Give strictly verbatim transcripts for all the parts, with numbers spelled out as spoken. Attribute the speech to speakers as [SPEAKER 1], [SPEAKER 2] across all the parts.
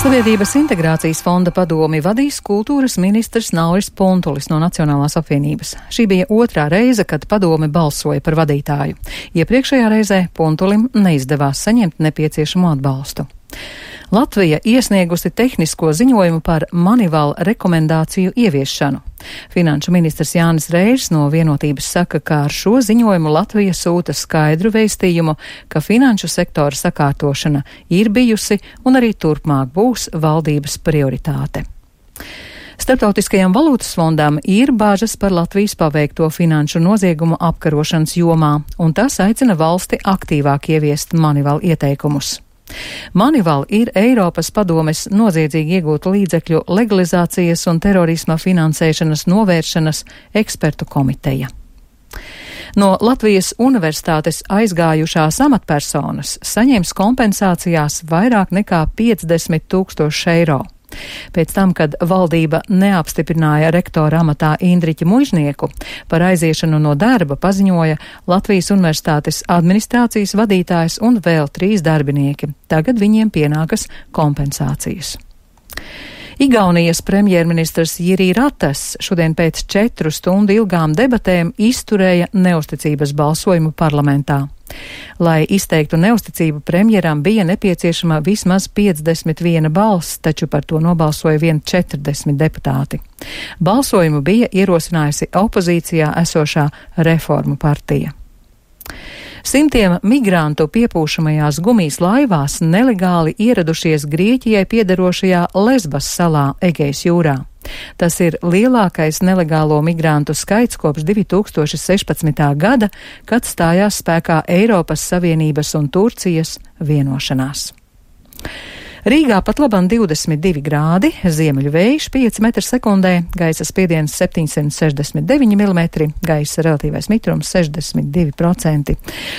[SPEAKER 1] Sabiedrības integrācijas fonda padomi vadīs kultūras ministrs Nauris Puntulis no Nacionālās apvienības. Šī bija otrā reize, kad padome balsoja par vadītāju. Iepriekšējā reizē Puntulim neizdevās saņemt nepieciešamo atbalstu. Latvija iesniegusi tehnisko ziņojumu par Manival rekomendāciju ieviešanu. Finanšu ministrs Jānis Reirs no Vienotības saka, ka ar šo ziņojumu Latvija sūta skaidru vēstījumu, ka finanšu sektora sakārtošana ir bijusi un arī turpmāk būs valdības prioritāte. Starptautiskajam valūtas fondam ir bāžas par Latvijas paveikto finanšu noziegumu apkarošanas jomā, un tas aicina valsti aktīvāk ieviest Manival ieteikumus. Manival ir Eiropas padomes noziedzīgi iegūtu līdzekļu legalizācijas un terorisma finansēšanas novēršanas ekspertu komiteja. No Latvijas universitātes aizgājušās amatpersonas saņems kompensācijās vairāk nekā piecdesmit tūkstoši eiro. Pēc tam, kad valdība neapstiprināja rektora amatā Indriķi Muižnieku, par aiziešanu no darba paziņoja Latvijas universitātes administrācijas vadītājs un vēl trīs darbinieki. Tagad viņiem pienākas kompensācijas. Igaunijas premjerministrs Jiri Ratas šodien pēc četru stundu ilgām debatēm izturēja neusticības balsojumu parlamentā. Lai izteiktu neusticību premjeram, bija nepieciešama vismaz piecdesmit viena balss, taču par to nobalsoja vien četrdesmit deputāti. Balsojumu bija ierosinājusi opozīcijā esošā Reformu partija. Simtiem migrantu piepūšamajās gumijas laivās nelegāli ieradušies Grieķijai piederošajā Lesbas salā Egejas jūrā. Tas ir lielākais nelegālo migrantu skaits kopš divi tūkstoši sešpadsmitā gada, kad stājās spēkā Eiropas Savienības un Turcijas vienošanās. Rīgā pat labam divdesmit divi grādi, ziemeļu vējš pieci metri sekundē, gaisa spiediens septiņsimt sešdesmit deviņi milimetri, gaisa relatīvais mitrums sešdesmit divi procenti.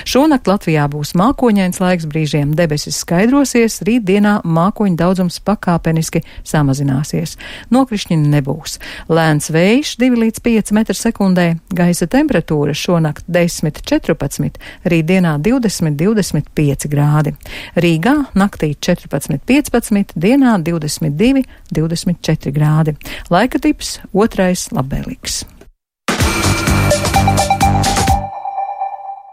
[SPEAKER 1] Šonakt Latvijā būs mākoņains laiks, brīžiem debesis skaidrosies, rītdienā mākoņu daudzums pakāpeniski samazināsies. Nokrišņi nebūs. Lēns vējš divi līdz pieci metri sekundē, gaisa temperatūra šonakt desmit četrpadsmit, rītdienā divdesmit divdesmit pieci grādi. Rīgā naktī četrpadsmit piecpadsmit, dienā divdesmit divi divdesmit četri grādi. Laika tips otrais labvēlīgs.